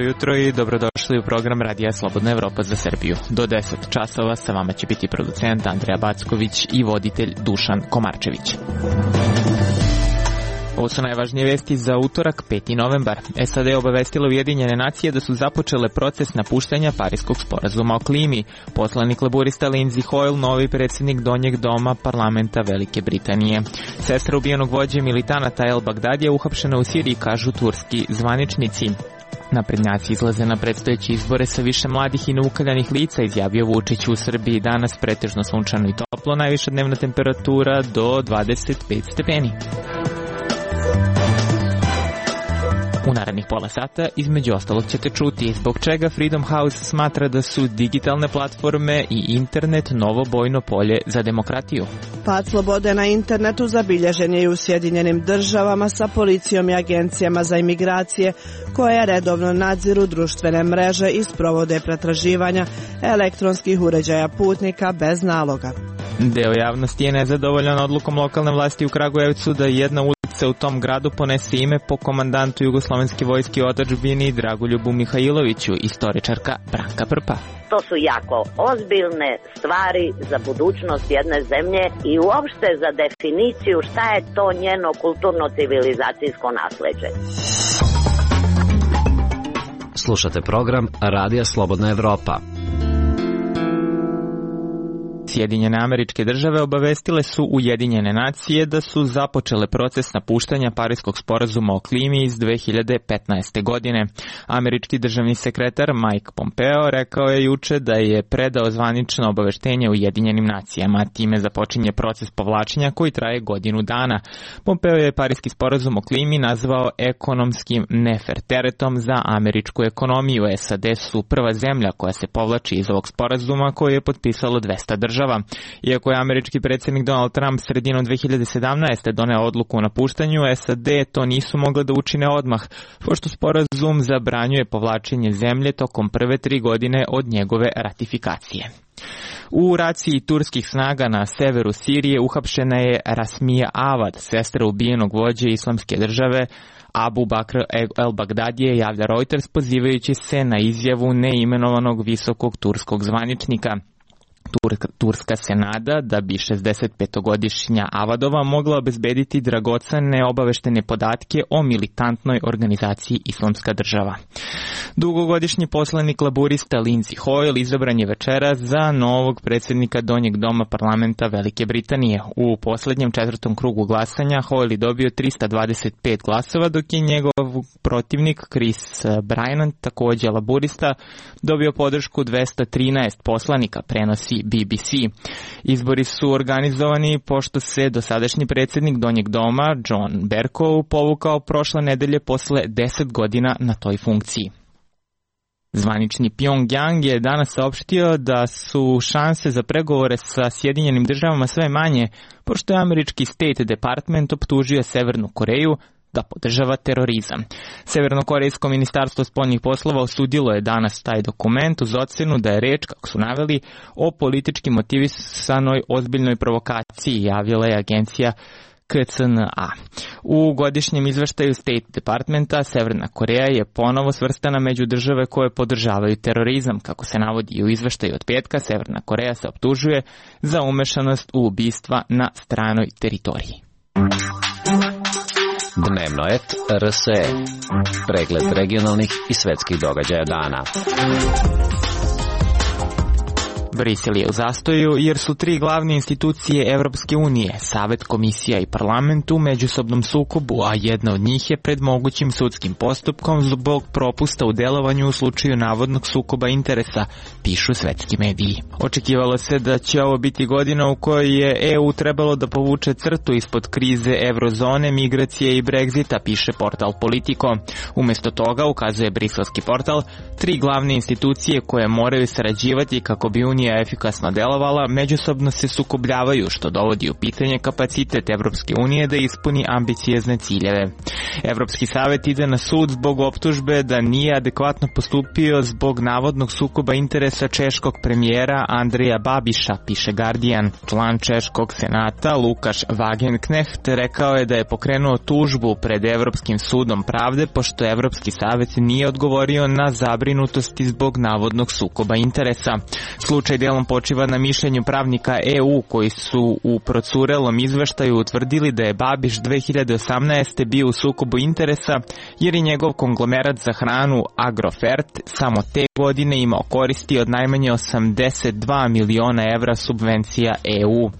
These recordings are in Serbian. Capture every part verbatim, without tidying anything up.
jutro i dobrodošli u program Radija Slobodna Evropa za Srbiju. Do deset časova sa vama će biti producent Andreja Backović i voditelj Dušan Komarčević. Ovo su najvažnije vesti za utorak, peti novembar. S A D obavestila Ujedinjene nacije da su započele proces napuštanja Pariskog sporazuma o klimi. Poslanik laburista Lindsey Hoyle, novi predsjednik Donjeg doma parlamenta Velike Britanije. Sestra ubijenog vođe militanata El Bagdadija uhapšena u Siriji, kažu turski zvaničnici. Naprednjaci izlaze na predstojeće izbore sa više mladih i neukaljanih lica, izjavio Vučić. U Srbiji danas pretežno sunčano i toplo, najviša dnevna temperatura do dvadeset pet stepeni. U narednih pola sata, između ostalog, ćete čuti zbog čega Freedom House smatra da su digitalne platforme i internet novo bojno polje za demokratiju. Pad slobode na internetu zabilježen je i u Sjedinjenim državama sa policijom i agencijama za imigracije koje redovno nadziru društvene mreže i sprovode pretraživanja elektronskih uređaja putnika bez naloga. Deo javnosti je nezadovoljan odlukom lokalne vlasti u Kragujevcu da jedna ulica u tom gradu ponese ime po komandantu Jugoslovenske vojske u otadžbini Dragoljubu Mihajloviću, istoričarka Branka Prpa. To su jako ozbiljne stvari za budućnost jedne zemlje i uopšte za definiciju šta je to njeno kulturno-civilizacijsko nasleđe. Slušate program Radija Slobodna Evropa. Sjedinjene Američke Države obavestile su Ujedinjene nacije da su započele proces napuštanja Pariskog sporazuma o klimi iz dve hiljade petnaeste. godine. Američki državni sekretar Mike Pompeo rekao je juče da je predao zvanično obaveštenje Ujedinjenim nacijama. Time započinje proces povlačenja koji traje godinu dana. Pompeo je Pariski sporazum o klimi nazvao ekonomskim nefer teretom za američku ekonomiju. S A D su prva zemlja koja se povlači iz ovog sporazuma koji je potpisalo dvesta država. Iako je američki predsjednik Donald Trump sredinom dve hiljade sedamnaeste. doneo odluku o napuštanju, S A D to nisu mogle da učine odmah, pošto sporazum zabranjuje povlačenje zemlje tokom prve tri godine od njegove ratifikacije. U raciji turskih snaga na severu Sirije uhapšena je Rasmija Avad, sestra ubijenog vođe Islamske države Abu Bakr el Bagdadije, javlja Reuters pozivajući se na izjavu neimenovanog visokog turskog zvaničnika. Turska se nada da bi šezdesetpetogodišnja Avadova mogla obezbediti dragocene obaveštene podatke o militantnoj organizaciji Islamska država. Dugogodišnji poslanik laburista Lindsey Hoyle izabran je večeras za novog predsjednika Donjeg doma parlamenta Velike Britanije. U posljednjem četvrtom krugu glasanja Hoyle je dobio trista dvadeset pet glasova, dok je njegov protivnik Chris Bryan, također laburista, dobio podršku dvesta trinaest poslanika, prenosi B B C. Izbori su organizovani pošto se dosadašnji predsjednik Donjeg doma, John Bercow, povukao prošle nedelje posle deset godina na toj funkciji. Zvanični Pyongyang je danas saopštio da su šanse za pregovore sa Sjedinjenim državama sve manje, pošto je američki State Department optužio Severnu Koreju da podržava terorizam. Severnokorejsko ministarstvo spoljnih poslova osudilo je danas taj dokument uz ocenu da je reč, kako su naveli, o politički motivisanoj ozbiljnoj provokaciji, javila je agencija K C N A. U godišnjem izveštaju State Departmenta Severna Koreja je ponovo svrstana među države koje podržavaju terorizam. Kako se navodi u izveštaju od petka, Severna Koreja se optužuje za umešanost u ubistva na stranoj teritoriji. Dnevno et R S E. Pregled regionalnih i svetskih događaja dana. Brisel je u zastoju jer su tri glavne institucije Evropske unije, Savet, Komisija i Parlament u međusobnom sukobu, a jedna od njih je pred mogućim sudskim postupkom zbog propusta u delovanju u slučaju navodnog sukoba interesa, pišu svetski mediji. Očekivalo se da će ovo biti godina u kojoj je E U trebalo da povuče crtu ispod krize eurozone, migracije i Brexita, piše portal Politico. Umesto toga, ukazuje briselski portal, tri glavne institucije koje moraju sarađivati kako bi Unija unija efikasno delovala, međusobno se sukobljavaju, što dovodi u pitanje kapacitet Evropske unije da ispuni ambiciozne ciljeve. Evropski savet ide na sud zbog optužbe da nije adekvatno postupio zbog navodnog sukoba interesa češkog premijera Andreja Babiša, piše Guardian. Član češkog senata Lukaš Wagenknecht rekao je da je pokrenuo tužbu pred Evropskim sudom pravde pošto Evropski savet nije odgovorio na zabrinutosti zbog navodnog sukoba interesa. Slučaj delom počiva na mišljenju pravnika E U koji su u procurelom izveštaju utvrdili da je Babiš dve hiljade osamnaeste. bio u sukobu interesa jer je njegov konglomerat za hranu Agrofert samo te godine imao koristi od najmanje osamdeset dva miliona evra subvencija E U.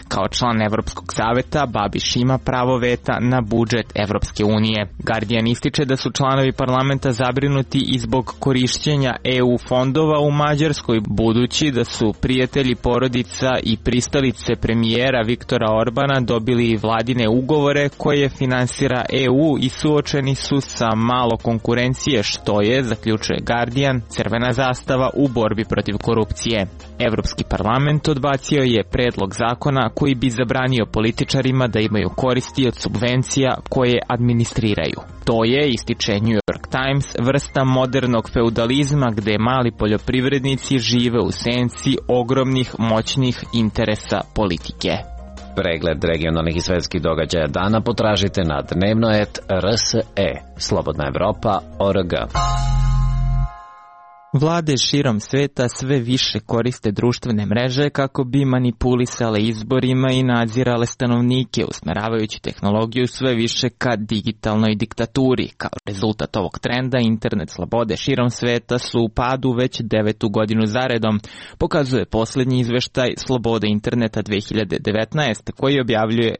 Kao član Evropskog saveta, Babiš ima pravo veta na budžet Evropske unije. Guardian ističe da su članovi parlamenta zabrinuti i zbog korišćenja E U fondova u Mađarskoj, budući da su prijatelji porodica i pristalice premijera Viktora Orbana dobili vladine ugovore koje finansira E U i suočeni su sa malo konkurencije, što je, zaključuje Guardian, crvena zastava u borbi protiv korupcije. Evropski parlament odbacio je predlog zakona koji bi zabranio političarima da imaju koristi od subvencija koje administriraju. To je, ističe New York Times, vrsta modernog feudalizma gde mali poljoprivrednici žive u senci ogromnih moćnih interesa politike. Pregled regionalnih i svetskih događaja dana potražite na dnevnoet R S E, Slobodna Evropa, O R G. Vlade širom sveta sve više koriste društvene mreže kako bi manipulisale izborima i nadzirale stanovnike, usmeravajući tehnologiju sve više ka digitalnoj diktaturi. Kao rezultat ovog trenda, internet slobode širom sveta su u padu već devetu godinu zaredom, pokazuje posljednji izveštaj Slobode interneta dve hiljade devetnaeste. koji objavljuje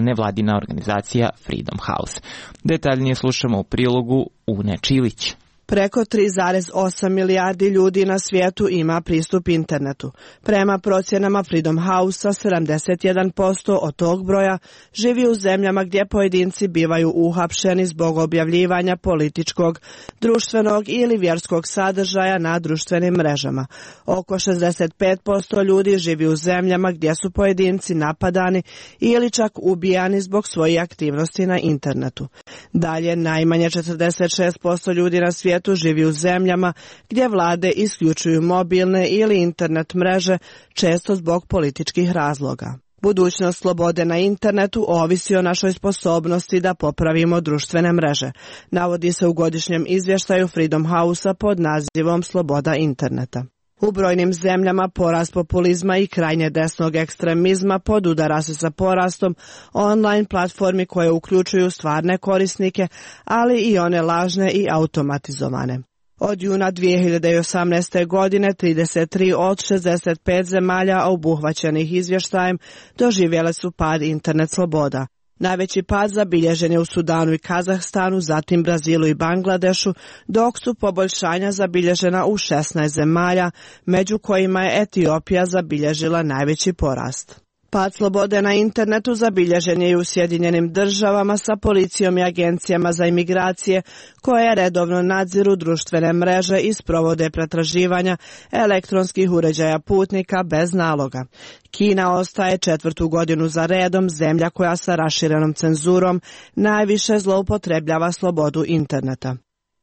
nevladina organizacija Freedom House. Detaljnije slušamo u prilogu Une Čilić. Preko tri zarez osam milijardi ljudi na svijetu ima pristup internetu. Prema procjenama Freedom House-a, sedamdeset jedan posto od tog broja živi u zemljama gdje pojedinci bivaju uhapšeni zbog objavljivanja političkog, društvenog ili vjerskog sadržaja na društvenim mrežama. Oko šezdeset pet posto ljudi živi u zemljama gdje su pojedinci napadani ili čak ubijani zbog svojih aktivnosti na internetu. Dalje, najmanje četrdeset šest posto ljudi na svijetu živi u zemljama gdje vlade isključuju mobilne ili internet mreže, često zbog političkih razloga. Budućnost slobode na internetu ovisi o našoj sposobnosti da popravimo društvene mreže, navodi se u godišnjem izvještaju Freedom House-a pod nazivom Sloboda interneta. U brojnim zemljama porast populizma i krajnje desnog ekstremizma podudara se sa porastom online platformi koje uključuju stvarne korisnike, ali i one lažne i automatizovane. Od juna dve hiljade osamnaeste. godine trideset tri od šezdeset pet zemalja obuhvaćenih izvještajem doživjele su pad internet sloboda. Najveći pad zabilježen je u Sudanu i Kazahstanu, zatim Brazilu i Bangladešu, dok su poboljšanja zabilježena u šesnaest zemalja, među kojima je Etiopija zabilježila najveći porast. Pad slobode na internetu zabilježen je i u Sjedinjenim državama sa policijom i agencijama za imigracije koje redovno nadziru društvene mreže i sprovode pretraživanja elektronskih uređaja putnika bez naloga. Kina ostaje četvrtu godinu za redom zemlja koja sa raširenom cenzurom najviše zloupotrebljava slobodu interneta.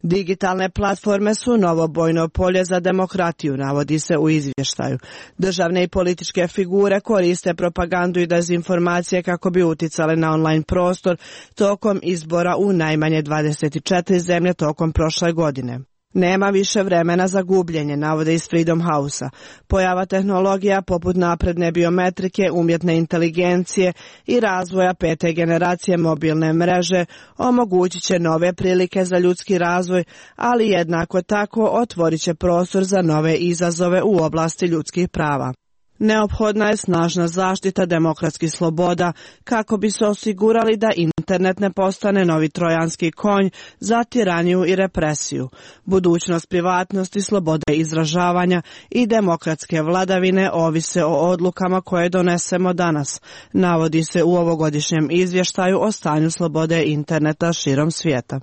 Digitalne platforme su novo bojno polje za demokratiju, navodi se u izvještaju. Državne i političke figure koriste propagandu i dezinformacije kako bi uticale na online prostor tokom izbora u najmanje dvadeset četiri zemlje tokom prošle godine. Nema više vremena za gubljenje, navode iz Freedom House-a. Pojava tehnologija poput napredne biometrike, umjetne inteligencije i razvoja pete generacije mobilne mreže omogućit će nove prilike za ljudski razvoj, ali jednako tako otvorit će prostor za nove izazove u oblasti ljudskih prava. Neophodna je snažna zaštita demokratskih sloboda kako bi se osigurali da internet ne postane novi trojanski konj za tiraniju i represiju. Budućnost privatnosti, slobode izražavanja i demokratske vladavine ovise o odlukama koje donesemo danas, navodi se u ovogodišnjem izvještaju o stanju slobode interneta širom svijeta.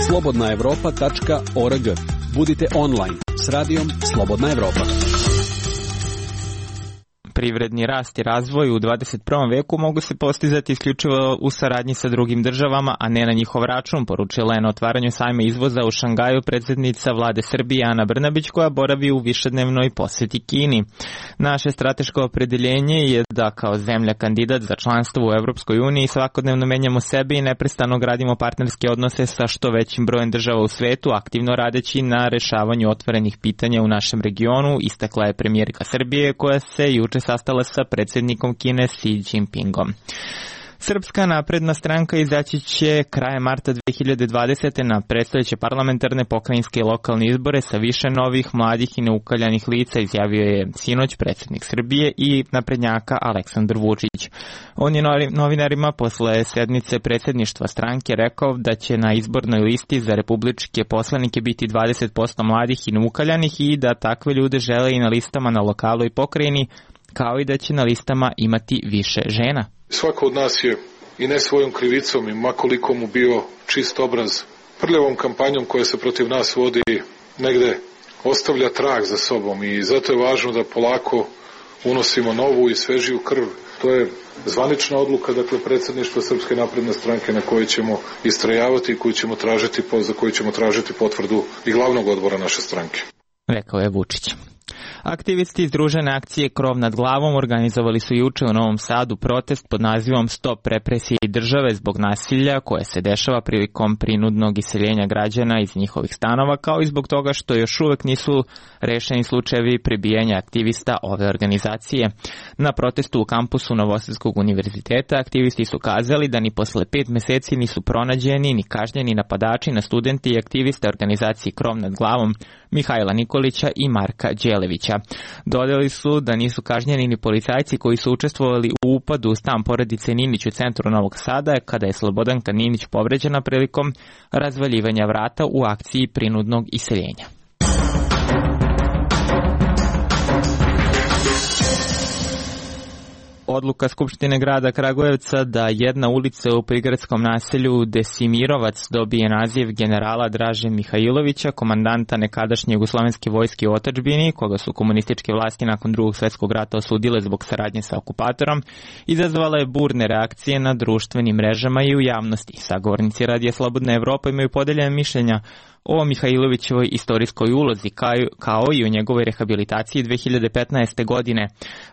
slobodna evropa tačka org. Budite online s radijom Slobodna Evropa. Privredni rast i razvoj u dvadeset prvom veku mogu se postizati isključivo u saradnji sa drugim državama, a ne na njihov račun, poručila je na otvaranju sajma izvoza u Šangaju predsjednica vlade Srbije Ana Brnabić, koja boravi u višednevnoj posjeti Kini. Naše strateško opredeljenje je da kao zemlja kandidat za članstvo u Evropskoj uniji svakodnevno menjamo sebe i neprestano gradimo partnerske odnose sa što većim brojem država u svetu, aktivno radeći na rešavanju otvorenih pitanja u našem regionu, istakla je premijerka Srbije, koja se juče sastala sa predsjednikom Kine Xi Jinpingom. Srpska napredna stranka izaći će krajem marta dve hiljade dvadesete. na predstojeće parlamentarne, pokrajinske i lokalne izbore sa više novih, mladih i neukaljanih lica, izjavio je sinoć predsjednik Srbije i naprednjaka Aleksandar Vučić. On je novinarima posle sednice predsjedništva stranke rekao da će na izbornoj listi za republičke poslanike biti dvadeset posto mladih i neukaljanih i da takve ljude žele i na listama na lokalu i pokrajini, kao i da će na listama imati više žena. Svako od nas je i ne svojom krivicom i makoliko mu bio čist obraz, prljavom kampanjom koja se protiv nas vodi negde ostavlja trag za sobom i zato je važno da polako unosimo novu i svežiju krv. To je zvanična odluka, dakle, predsjedništva Srpske napredne stranke na kojoj ćemo istrajavati i koju ćemo tražiti, za koju ćemo tražiti potvrdu i glavnog odbora naše stranke. Rekao je Vučić. Aktivisti Združene akcije Krov nad glavom organizovali su juče u Novom Sadu protest pod nazivom Stop represiji države zbog nasilja koje se dešava prilikom prinudnog iseljenja građana iz njihovih stanova, kao i zbog toga što još uvek nisu rešeni slučajevi prebijanja aktivista ove organizacije. Na protestu u kampusu Novosadskog univerziteta aktivisti su kazali da ni posle pet meseci nisu pronađeni ni kažnjeni napadači na studente i aktiviste organizacije Krov nad glavom Mihajla Nikolića i Marka Đelevića. Dodali su da nisu kažnjeni ni policajci koji su učestvovali u upadu u stan porodice Ninić u centru Novog Sada, kada je Slobodanka Ninić povređena prilikom razvaljivanja vrata u akciji prinudnog iseljenja. Odluka Skupštine grada Kragujevca da jedna ulica u prigradskom naselju Desimirovac dobije naziv generala Draže Mihajlovića, komandanta nekadašnje jugoslovenske vojske u otadžbini, koga su komunističke vlasti nakon Drugog svjetskog rata osudile zbog saradnje sa okupatorom, izazvala je burne reakcije na društvenim mrežama i u javnosti. Sagovornici Radija Slobodna Evropa imaju podeljene mišljenja o Mihajlovićevoj istorijskoj ulozi kao i o njegovoj rehabilitaciji dve hiljade petnaeste. godine,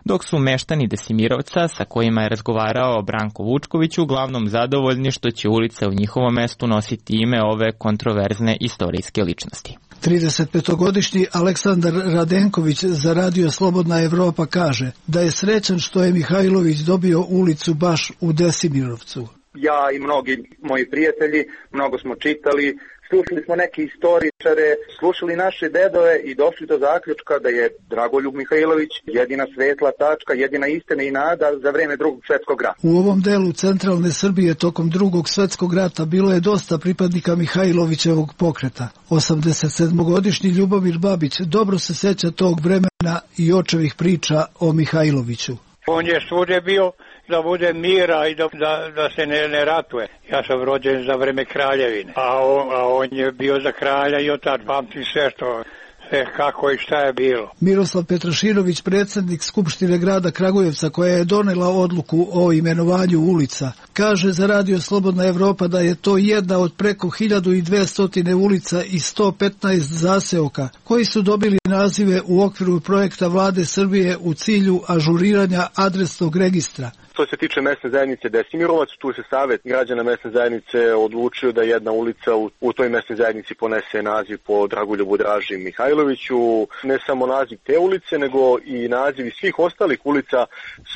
dok su meštani Desimirovca, sa kojima je razgovarao Branko Vučković, uglavnom zadovoljni što će ulica u njihovom mestu nositi ime ove kontroverzne istorijske ličnosti. tridesetpetogodišnji Aleksandar Radenković za Radio Slobodna Evropa kaže da je srećan što je Mihajlović dobio ulicu baš u Desimirovcu. Ja i mnogi moji prijatelji, mnogo smo čitali, slušali smo neke istoričare, slušali naše dedove i došli do zaključka da je Dragoljub Mihajlović jedina svetla tačka, jedina istina i nada za vreme Drugog svjetskog rata. U ovom delu centralne Srbije tokom Drugog svjetskog rata bilo je dosta pripadnika Mihajlovićevog pokreta. osamdesetsedmogodišnji Ljubomir Babić dobro se seća tog vremena i očevih priča o Mihajloviću. On je svude bio da bude mira i da, da, da se ne, ne ratuje. Ja sam rođen za vreme kraljevine, a on, a on je bio za kralja i od tad pamtim sve što, sve kako i šta je bilo. Miroslav Petrašinović, predsjednik Skupštine grada Kragujevca, koja je donela odluku o imenovanju ulica, kaže za Radio Slobodna Evropa da je to jedna od preko hiljadu dvesta ulica i sto petnaest zaseoka koji su dobili nazive u okviru projekta vlade Srbije u cilju ažuriranja adresnog registra. Što se tiče mesne zajednice Desimirovac, tu se savjet građana mesne zajednice odlučio da jedna ulica u, u toj mesnoj zajednici ponese naziv po Dragoljubu Draži Mihajloviću. Ne samo naziv te ulice, nego i nazivi svih ostalih ulica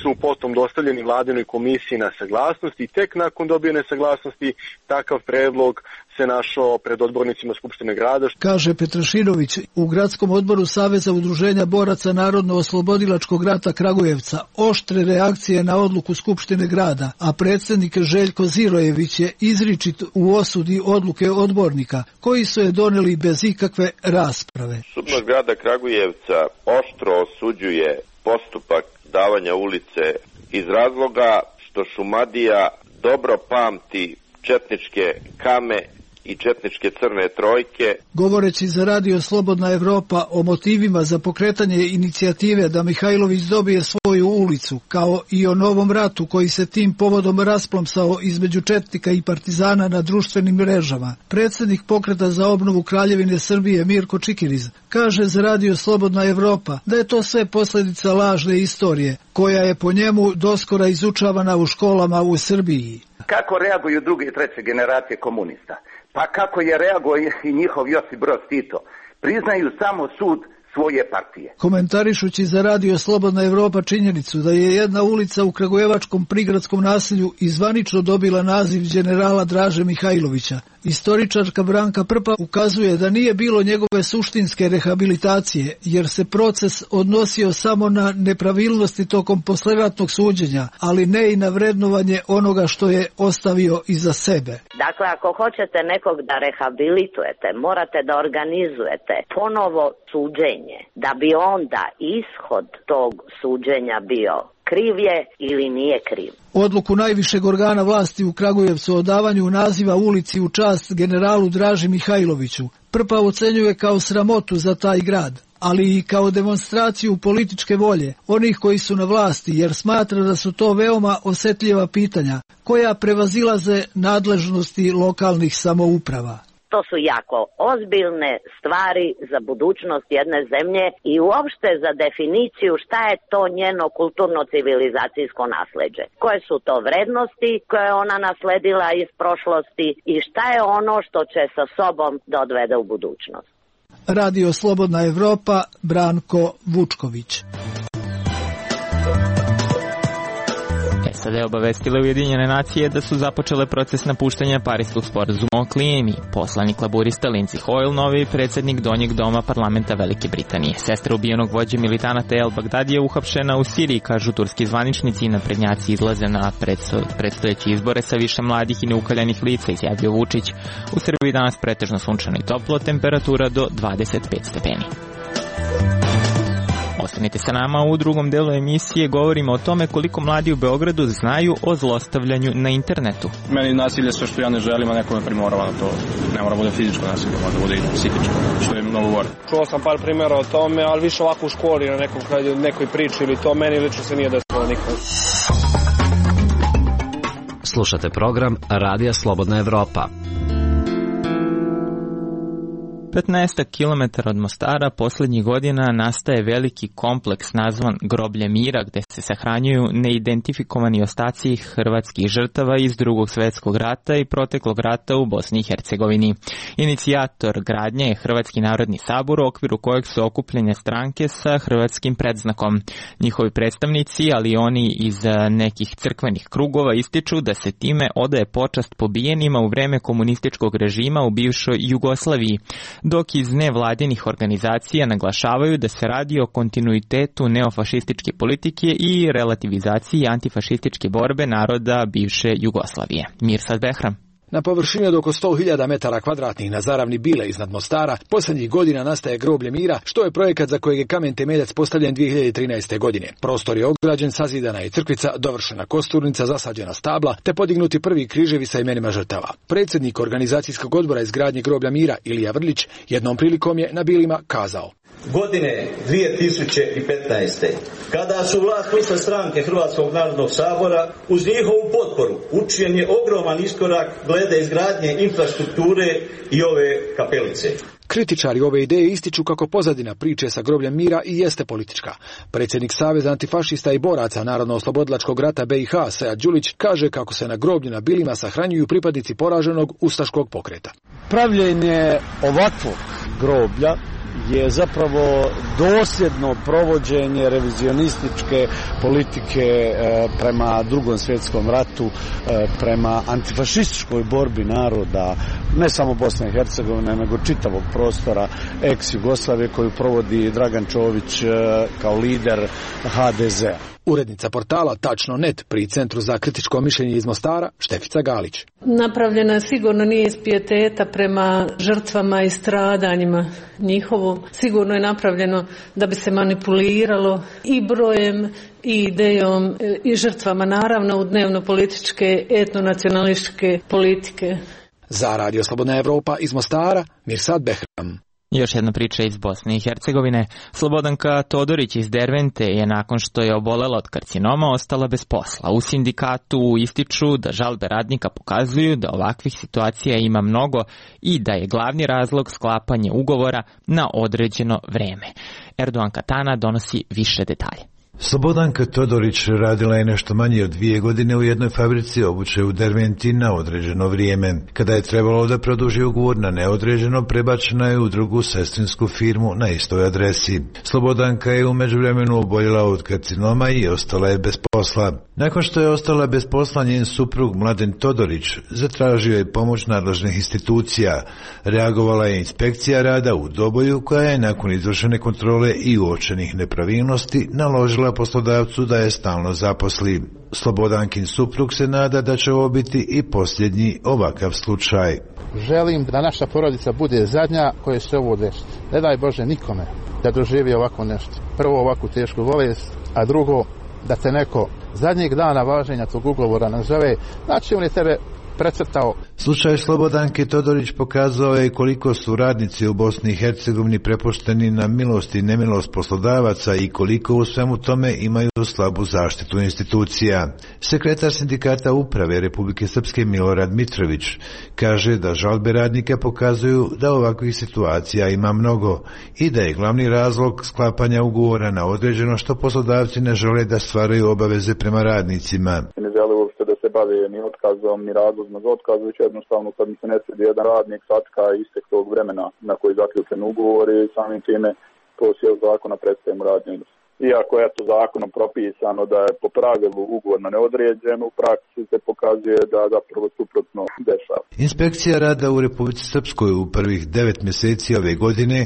su potom dostavljeni vladinoj komisiji na saglasnost i tek nakon dobijene saglasnosti takav predlog se našao pred odbornicima Skupštine grada. Kaže Petrašinović, u gradskom odboru Saveza udruženja boraca Narodno-oslobodilačkog rata Kragujevca oštre reakcije na odluku Skupštine grada, a predsjednik Željko Zirojević je izričit u osudi odluke odbornika, koji su je doneli bez ikakve rasprave. Skupština grada Kragujevca oštro osuđuje postupak davanja ulice iz razloga što Šumadija dobro pamti četničke kame i četničke crne trojke. Govoreći za Radio Slobodna Evropa o motivima za pokretanje inicijative da Mihajlović dobije svoju ulicu, ulicu, kao i o novom ratu koji se tim povodom rasplomsao između četnika i partizana na društvenim mrežama. Predsjednik Pokreta za obnovu Kraljevine Srbije Mirko Čikiriz kaže za Radio Slobodna Evropa da je to sve posljedica lažne istorije, koja je po njemu doskora izučavana u školama u Srbiji. Kako reaguju druge i treće generacije komunista? Pa kako je reagovao i njihov Josip Broz Tito? Priznaju samo sud svoje partije. Komentarišući za Radio Slobodna Evropa činjenicu da je jedna ulica u kragujevačkom prigradskom naselju izvanično dobila naziv generala Draže Mihajlovića, istoričarka Branka Prpa ukazuje da nije bilo njegove suštinske rehabilitacije, jer se proces odnosio samo na nepravilnosti tokom posleratnog suđenja, ali ne i na vrednovanje onoga što je ostavio iza sebe. Dakle, ako hoćete nekog da rehabilitujete, morate da organizujete ponovo suđenje, da bi onda ishod tog suđenja bio kriv je ili nije kriv. Odluku najvišeg organa vlasti u Kragujevcu o davanju naziva ulici u čast generalu Draži Mihajloviću Prpa ocenjuje kao sramotu za taj grad, ali i kao demonstraciju političke volje onih koji su na vlasti, jer smatra da su to veoma osetljiva pitanja koja prevazilaze nadležnosti lokalnih samouprava. To su jako ozbiljne stvari za budućnost jedne zemlje i uopšte za definiciju šta je to njeno kulturno-civilizacijsko nasleđe. Koje su to vrednosti koje je ona nasledila iz prošlosti i šta je ono što će sa sobom da odvede u budućnost. Radio Slobodna Evropa, Branko Vučković. Sada je obavestile Ujedinjene nacije da su započele proces napuštanja Pariskog sporazuma o klimi. Poslanik laburista Lindsey Hoyle, novi predsjednik donjeg doma parlamenta Velike Britanije. Sestra ubijenog vođe militanata El Bagdadi je uhapšena u Siriji, kažu turski zvaničnici, i naprednjaci izlaze na predstojeće izbore sa više mladih i neukaljanih lica, izjavio Vučić. U Srbiji danas pretežno sunčano i toplo, temperatura do dvadeset pet stepeni. Ostanite sa nama, u drugom delu emisije govorimo o tome koliko mladi u Beogradu znaju o zlostavljanju na internetu. Meni nasilje sve što ja ne želim, a neko me primorava na to. Ne mora bude fizičko nasilje, može bude i psihičko, što je mnogo gore. Čuo sam par primjera o tome, ali više ovako u školi, na nekom, nekoj priči ili to, meni lično se nije desilo nikad. Slušate program Radija Slobodna Evropa. petnaest kilometara od Mostara posljednjih godina nastaje veliki kompleks nazvan Groblje mira, gde se sahranjuju neidentifikovani ostaci hrvatskih žrtava iz Drugog svjetskog rata i proteklog rata u Bosni i Hercegovini. Inicijator gradnje je Hrvatski narodni sabor, u okviru kojeg su okupljene stranke sa hrvatskim predznakom. Njihovi predstavnici, ali i oni iz nekih crkvenih krugova, ističu da se time odaje počast pobijenima u vreme komunističkog režima u bivšoj Jugoslaviji, dok iz nevladinih organizacija naglašavaju da se radi o kontinuitetu neofašističke politike i relativizaciji antifašističke borbe naroda bivše Jugoslavije. Mirsad Behram. Na površini od oko sto hiljada metara kvadratnih na zaravni Bile iznad Mostara posljednjih godina nastaje Groblje mira, što je projekat za kojeg je kamen temeljac postavljen dvije hiljade trinaeste. godine. Prostor je ograđen, sazidana je crkvica, dovršena kosturnica, zasađena stabla, te podignuti prvi križevi sa imenima žrtava. Predsjednik organizacijskog odbora izgradnje Groblja mira, Ilija Vrlić, jednom prilikom je na Bilima kazao: Godine dvije tisuće petnaeste. kada su vlast ušle stranke Hrvatskog narodnog sabora, uz njihovu potporu učinjen je ogroman iskorak glede izgradnje infrastrukture i ove kapelice. Kritičari ove ideje ističu kako pozadina priče sa Grobljem mira i jeste politička. Predsjednik Saveza antifašista i boraca Narodno-oslobodilačkog rata B i H, Sead Đulić, kaže kako se na groblju na Bilima sahranjuju pripadnici poraženog ustaškog pokreta. Pravljenje ovakvog groblja je zapravo dosljedno provođenje revizionističke politike prema Drugom svjetskom ratu, prema antifašističkoj borbi naroda, ne samo Bosne i Hercegovine, nego čitavog prostora ex-Jugoslavije koju provodi Dragan Čović kao lider H D Z-a. Urednica portala Tačno net pri Centru za kritičko mišljenje iz Mostara, Štefica Galić. Napravljena sigurno nije iz pijeteta prema žrtvama i stradanjima njihovom. Sigurno je napravljeno da bi se manipuliralo i brojem i idejom i žrtvama, naravno u dnevno-političke, etnonacionalističke politike. Za Radio Slobodna Evropa iz Mostara, Mirsad Behram. Još jedna priča iz Bosne i Hercegovine. Slobodanka Todorić iz Dervente je nakon što je obolela od karcinoma ostala bez posla. U sindikatu ističu da žalbe radnika pokazuju da ovakvih situacija ima mnogo i da je glavni razlog sklapanje ugovora na određeno vreme. Erdogan Katana donosi više detalje. Slobodanka Todorić radila je nešto manje od dvije godine u jednoj fabrici obuće u Derventi na određeno vrijeme. Kada je trebalo da produži ugovor na neodređeno, prebačena je u drugu sestrinsku firmu na istoj adresi. Slobodanka je u međuvremenu oboljela od karcinoma i ostala je bez posla. Nakon što je ostala bez posla, njen suprug Mladen Todorić zatražio je pomoć nadležnih institucija. Reagovala je inspekcija rada u Doboju, koja je nakon izvršene kontrole i uočenih nepravilnosti naložila poslodavcu da je stalno zaposli. Slobodankin suprug se nada da će ovo biti i posljednji ovakav slučaj. Želim da naša porodica bude zadnja koja se ovo desi. Ne daj Bože nikome da doživi ovako nešto. Prvo ovakvu tešku bolest, a drugo da te neko zadnjeg dana važenja tog ugovora nazove, znači on je tebe precrtao. Slučaj Slobodanke Todorić pokazao je koliko su radnici u Bosni i Hercegovini prepušteni na milost i nemilost poslodavaca i koliko u svemu tome imaju slabu zaštitu institucija. Sekretar sindikata uprave Republike Srpske Milorad Mitrović kaže da žalbe radnika pokazuju da ovakvih situacija ima mnogo i da je glavni razlog sklapanja ugovora na određeno što poslodavci ne žele da stvaraju obaveze prema radnicima. Ne žele uopšte da se bave ni otkazom, ni razlozima za otkaz, već jednostavno kad mi se ne svidi jedan radnik satka istek tog vremena na koji je zaključen ugovor i samim time to sjel zakona prestaje mu radni odnos. Iako je to zakonom propisano da je po pravilu ugovor na neodređeno, u praksi se pokazuje da zapravo suprotno dešava. Inspekcija rada u Republici Srpskoj u prvih devet mjeseci ove godine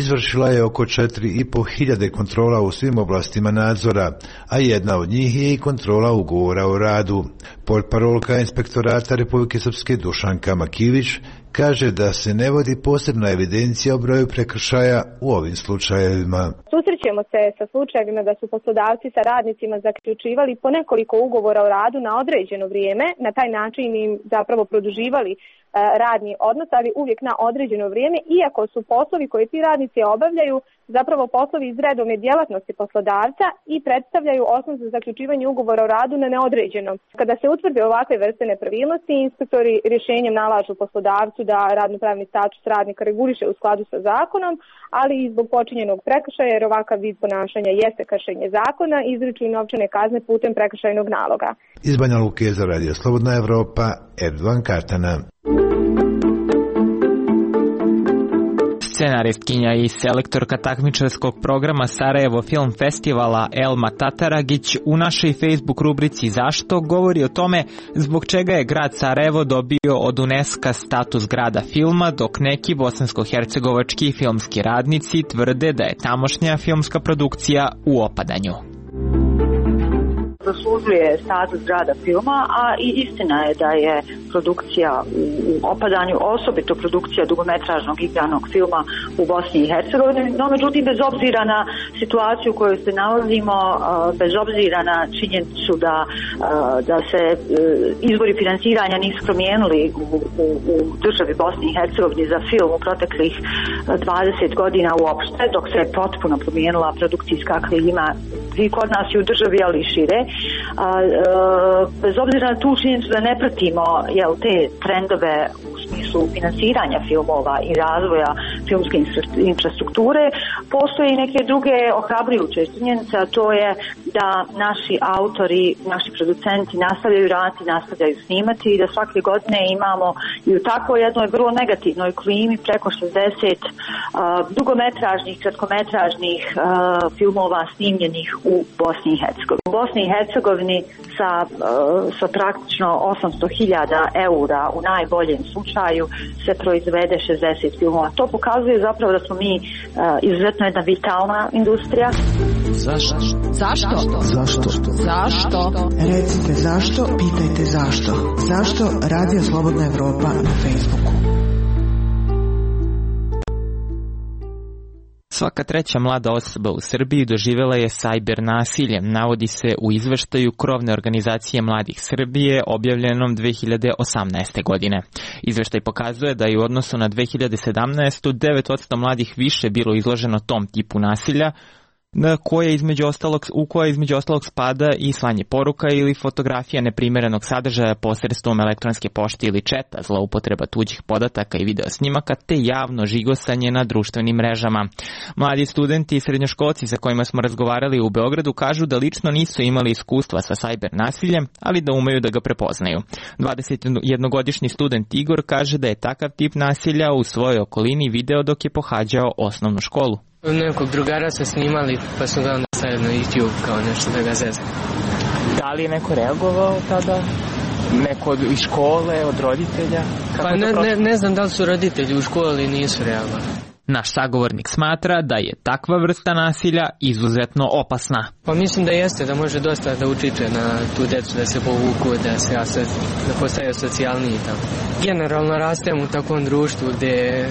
izvršila je oko četiri i po hiljade kontrola u svim oblastima nadzora, a jedna od njih je i kontrola ugovora o radu. Portparolka Inspektorata Republike Srpske Dušanka Makivić kaže da se ne vodi posebna evidencija o broju prekršaja u ovim slučajevima. Susrećemo se sa slučajevima da su poslodavci sa radnicima zaključivali po nekoliko ugovora o radu na određeno vrijeme, na taj način im zapravo produživali radni odnos, ali uvijek na određeno vrijeme, iako su poslovi koje ti radnici obavljaju zapravo poslovi iz redovne djelatnosti poslodavca i predstavljaju osnov za zaključivanje ugovora o radu na neodređeno. Kada se utvrde ovakve vrste nepravilnosti, inspektori rješenjem nalažu poslodavcu da radnopravni status radnika reguliše u skladu sa zakonom, ali i zbog počinjenog prekršaja, jer ovakav vid ponašanja jeste kršenje zakona, izriču i novčane kazne putem prekršajnog naloga. Iz Banja Luke za Radio Slobodna Evropa, Erdogan Katana. Scenaristkinja i selektorka takmičarskog programa Sarajevo Film Festivala Elma Tataragić u našoj Facebook rubrici Zašto govori o tome zbog čega je grad Sarajevo dobio od UNESCO status grada filma, dok neki bosansko-hercegovački filmski radnici tvrde da je tamošnja filmska produkcija u opadanju. Zaslužuje status grada filma, a i istina je da je produkcija u opadanju, osobito produkcija dugometražnog igranog filma u Bosni i Hercegovini, no međutim bez obzira na situaciju u kojoj se nalazimo, bez obzira na činjenicu da, da se izvori finansiranja nisu promijenili u, u, u državi Bosni i Hercegovini za film u proteklih dvadeset godina uopšte, dok se je potpuno promijenila produkcijska klima i kod nas i u državi, ali i šire. A, a, bez obzira na tu činjenicu da ne pratimo jel, te trendove u smislu finansiranja filmova i razvoja filmske infrastrukture, postoje i neke druge ohrabrujuće činjenice, a to je da naši autori, naši producenti nastavljaju raditi, nastavljaju snimati i da svake godine imamo i u takvoj jednoj vrlo negativnoj klimi preko šezdeset a, dugometražnih, kratkometražnih a, filmova snimljenih u Bosni i Hercegovini. U Bosni i Hercegovini sa, sa praktično osamsto hiljada eura u najboljem slučaju se proizvede šezdeset filmova. To pokazuje zapravo da smo mi uh, izuzetno jedna vitalna industrija. Zašto? Zašto? Zašto? Zašto? Recite zašto, pitajte zašto. Zašto Radio Slobodna Evropa na Facebooku? Svaka treća mlada osoba u Srbiji doživjela je sajber nasilje, navodi se u izveštaju krovne organizacije Mladih Srbije objavljenom dve hiljade osamnaeste. godine. Izveštaj pokazuje da je u odnosu na dve hiljade sedamnaestu. devet posto mladih više bilo izloženo tom tipu nasilja, na koje između ostalog, u koje između ostalog spada i slanje poruka ili fotografija neprimerenog sadržaja posredstvom elektronske pošte ili četa, zloupotreba tuđih podataka i video snimaka, te javno žigosanje na društvenim mrežama. Mladi studenti i srednjoškolci sa kojima smo razgovarali u Beogradu kažu da lično nisu imali iskustva sa sajber nasiljem, ali da umeju da ga prepoznaju. dvadesetjednogodišnji student Igor kaže da je takav tip nasilja u svojoj okolini video dok je pohađao osnovnu školu. Nekog drugara su snimali, pa su ga onda stavili na YouTube kao nešto da ga zezna. Da li je neko reagovao tada? Neko od iz škole, od roditelja? Kako pa ne, ne, ne znam da li su roditelji u školi nisu reagovali. Naš sagovornik smatra da je takva vrsta nasilja izuzetno opasna. Pa mislim da jeste, da može dosta da utiče na tu decu, da se povuku, da se da postaju socijalniji i tako. Generalno rastemo u takvom društvu gde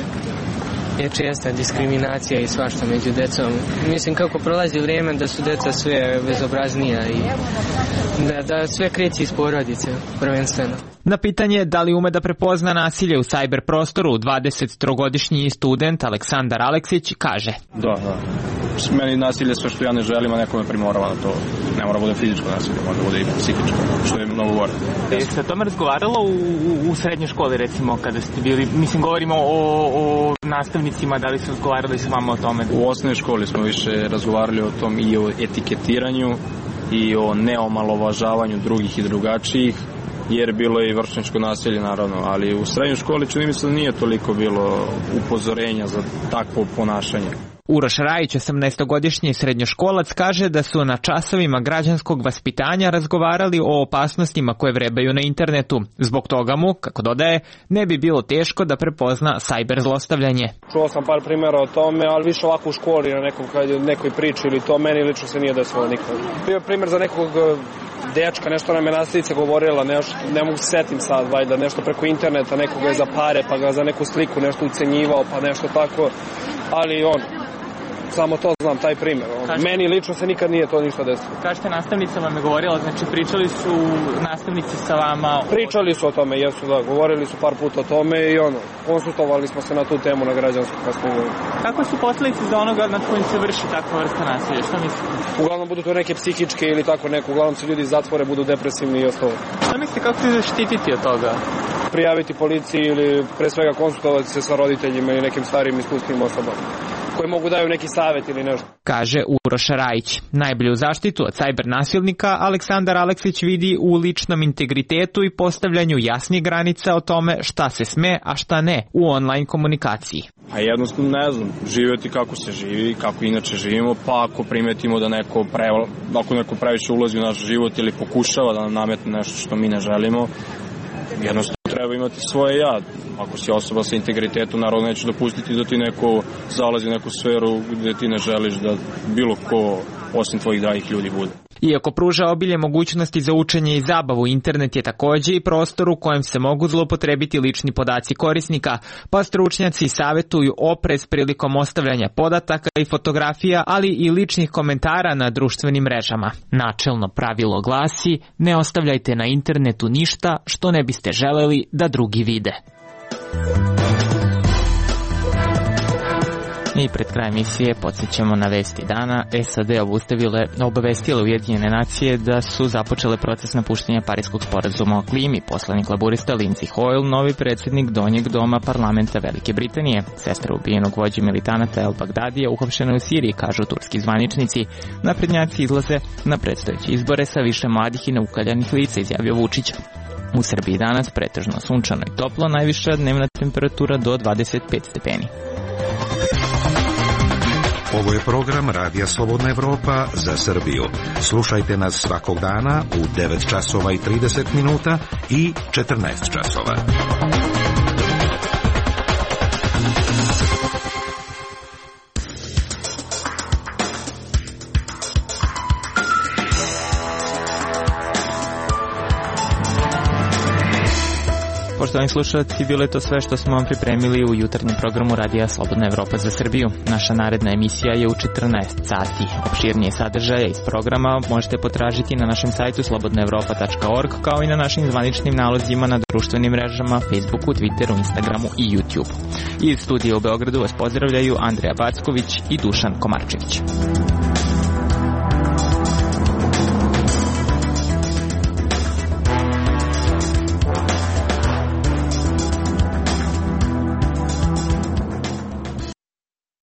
je česta diskriminacija i svašta među decom. Mislim kako prolazi vrijeme da su deca sve bezobraznija i da, da sve kreće iz porodice prvenstveno. Na pitanje da li ume da prepozna nasilje u sajber prostoru, dvadesettrogodišnji student Aleksandar Aleksić kaže: Da, da. Meni nasilje sve što ja ne želim, a neko me primorava na to. Ne mora bude fizičko nasilje, može bude i psihičko, što je mnogo gore. Jeste o tome razgovaralo u, u, u srednjoj školi, recimo, kada ste bili, mislim, govorimo o, o nastavnicima, da li su razgovarali s vama o tome? U osnovnoj školi smo više razgovarali o tom i o etiketiranju i o neomalovažavanju drugih i drugačijih, jer bilo je i vršnjačko nasilje naravno, ali u srednjoj školi čini mi se da nije toliko bilo upozorenja za takvo ponašanje. Uroš Rajić, osamnaestogodišnji srednjoškolac, kaže da su na časovima građanskog vaspitanja razgovarali o opasnostima koje vrebaju na internetu. Zbog toga mu, kako dodaje, ne bi bilo teško da prepozna sajber zlostavljanje. Čuo sam par primjera o tome, ali više ovako u školi na nekom, nekoj priči ili to, meni lično se nije desilo nikad. Bio primjer za nekog dečka, nešto nam je nastavnica govorila, nešto, ne mogu se setim sad, valjda, nešto preko interneta, nekoga je za pare, pa ga za neku sliku nešto ucenjivao, pa nešto tako, ali on, samo to znam, taj primjer. Kažete, meni lično se nikad nije to ništa desilo. Kažete, nastavnica vam je govorila, znači pričali su nastavnici sa vama? Pričali su o tome, jesu, da, govorili su par puta o tome i ono, konsultovali smo se na tu temu na građanskom kasnije. Kako su posljedice za onoga nad kojim se vrši takva vrsta nasilja? Šta mislite? Uglavnom budu to neke psihičke ili tako neko, uglavnom se ljudi zatvore, budu depresivni i ostalo. Šta mislite, kako se zaštititi od toga? Prijaviti policiji ili pre svega konsultovati se sa roditeljima ili nekim starijim iskustvenim osobama koji mogu daju neki savjet ili nešto. Kaže Uroš Rajić. Najbolju zaštitu od sajber nasilnika Aleksandar Aleksić vidi u ličnom integritetu i postavljanju jasnih granica o tome šta se sme, a šta ne u online komunikaciji. A jednostavno ne znam, živjeti kako se živi, kako inače živimo, pa ako primetimo da neko, pre, ako neko previše ulazi u naš život ili pokušava da nam nametne nešto što mi ne želimo, jednostavno treba imati svoje ja. Ako si osoba sa integritetom, naravno neću dopustiti da ti neko zalazi u neku sferu gdje ti ne želiš da bilo ko osim tvojih dragih ljudi bude. Iako pruža obilje mogućnosti za učenje i zabavu, internet je također i prostor u kojem se mogu zloupotrebiti lični podaci korisnika, pa stručnjaci savjetuju oprez prilikom ostavljanja podataka i fotografija, ali i ličnih komentara na društvenim mrežama. Načelno pravilo glasi: ne ostavljajte na internetu ništa što ne biste želeli da drugi vide. I pred kraj emisije podsjećamo na vesti dana. S A D obustavile, obavestile Ujedinjene nacije da su započele proces napuštanja Pariskog sporazuma o klimi. Poslanik laburista Lindsey Hoyle, novi predsjednik donjeg doma parlamenta Velike Britanije. Sestra ubijenog vođe militanata El Bagdadija uhapšena u Siriji, kažu turski zvaničnici. Naprednjaci izlaze na predstojeće izbore sa više mladih i neukaljanih lica, izjavio Vučić. U Srbiji danas pretežno sunčano i toplo, najviša dnevna temperatura do dvadeset pet stepeni. Ovo je program Radija Slobodna Evropa za Srbiju. Slušajte nas svakog dana u devet časova i trideset minuta i četrnaest časova. Poštovani slušalci, bilo je to sve što smo vam pripremili u jutarnjem programu Radija Slobodna Evropa za Srbiju. Naša naredna emisija je u četrnaest sati. Opširnije sadržaje iz programa možete potražiti na našem sajtu slobodna evropa tačka org, kao i na našim zvaničnim nalozima na društvenim mrežama Facebooku, Twitteru, Instagramu i YouTubeu. Iz studija u Beogradu vas pozdravljaju Andreja Backović i Dušan Komarčević.